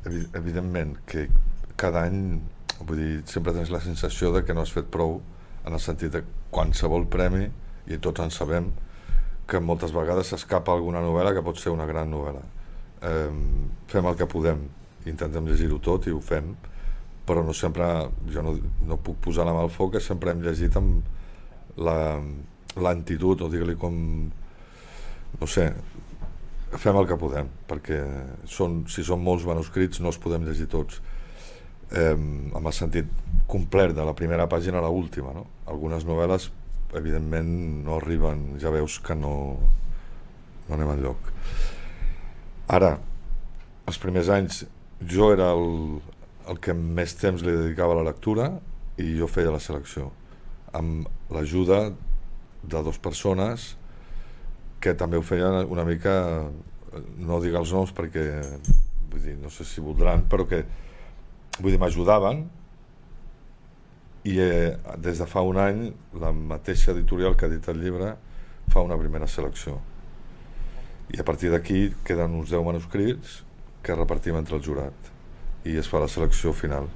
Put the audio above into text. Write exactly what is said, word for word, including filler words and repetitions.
evidentment que cada any, vull dir, sempre tens la sensació de que no has fet prou, en el sentit de qualsevol premi, i tots en sabem, que moltes vegades s'escapa alguna novel·la que pot ser una gran novel·la. Eh, fem el que podem, intentem llegir-ho tot i ho fem, però no sempre, jo no, no puc posar la mà al foc, que sempre hem llegit amb la, l'antitud, o digue-li com, no sé, fem el que podem, perquè són, si són molts manuscrits no els podem llegir tots, eh, amb el sentit complet de la primera pàgina a l'última, no? Algunes novel·les evidentment no arriben, ja veus que no, no anem enlloc. Ara, els primers anys jo era el, el que més temps li dedicava a la lectura i jo feia la selecció, amb l'ajuda de dues persones que també ho feien una mica, no dic els noms perquè vull dir, no sé si voldran, però que vull dir, m'ajudaven. I eh, des de fa un any la mateixa editorial que ha dit el llibre fa una primera selecció i a partir d'aquí queden uns deu manuscrits que repartim entre el jurat i es fa la selecció final.